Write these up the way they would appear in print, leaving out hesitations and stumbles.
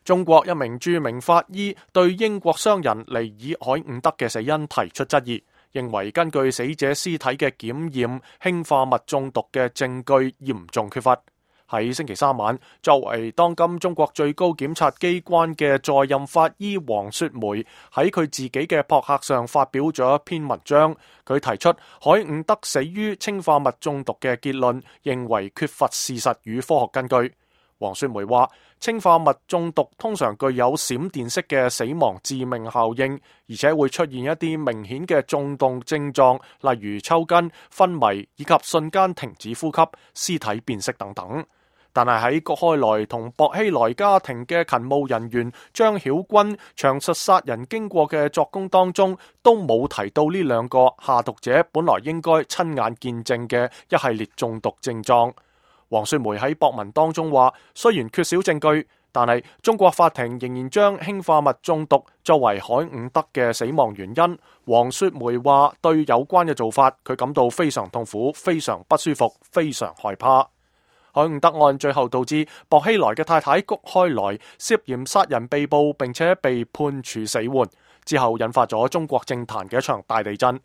中國一名著名法醫對英國商人尼爾海伍德嘅死因提出質疑，認為根據死者屍體嘅檢驗，氰化物中毒嘅證據嚴重缺乏。喺星期三晚，作為當今中國最高檢察機關嘅在任法醫黃雪梅喺佢自己嘅博客上發表咗一篇文章，佢提出海伍德死於氰化物中毒嘅結論，認為缺乏事實與科學根據。黃雪梅話，氰化物中毒通常具有閃電式嘅死亡致命效應，而且會出現一啲明顯嘅中毒症狀，例如抽筋、昏迷以及瞬間停止呼吸、屍體變色等等。但係喺谷開來同薄熙來家庭嘅勤務人員張曉軍詳述殺人經過嘅作供當中，都冇提到呢兩個下毒者本來應該親眼見證嘅一系列中毒症狀。黃雪梅喺博文當中話，雖然缺少證據，但係中國法庭仍然將氰化物中毒作為海伍德嘅死亡原因。黃雪梅話，對有關嘅做法，佢感到非常痛苦、非常不舒服、非常害怕。海伍德案最後導致薄熙來嘅太太谷開來涉嫌殺人被捕，並且被判處死緩，之後引發咗中國政壇嘅一場大地震。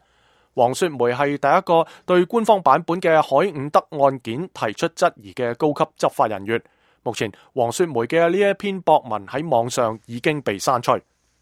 黃雪梅係第一個對官方版本嘅海伍德案件提出質疑嘅高級執法人員。目前黃雪梅嘅呢一篇博文喺網上已經被刪除。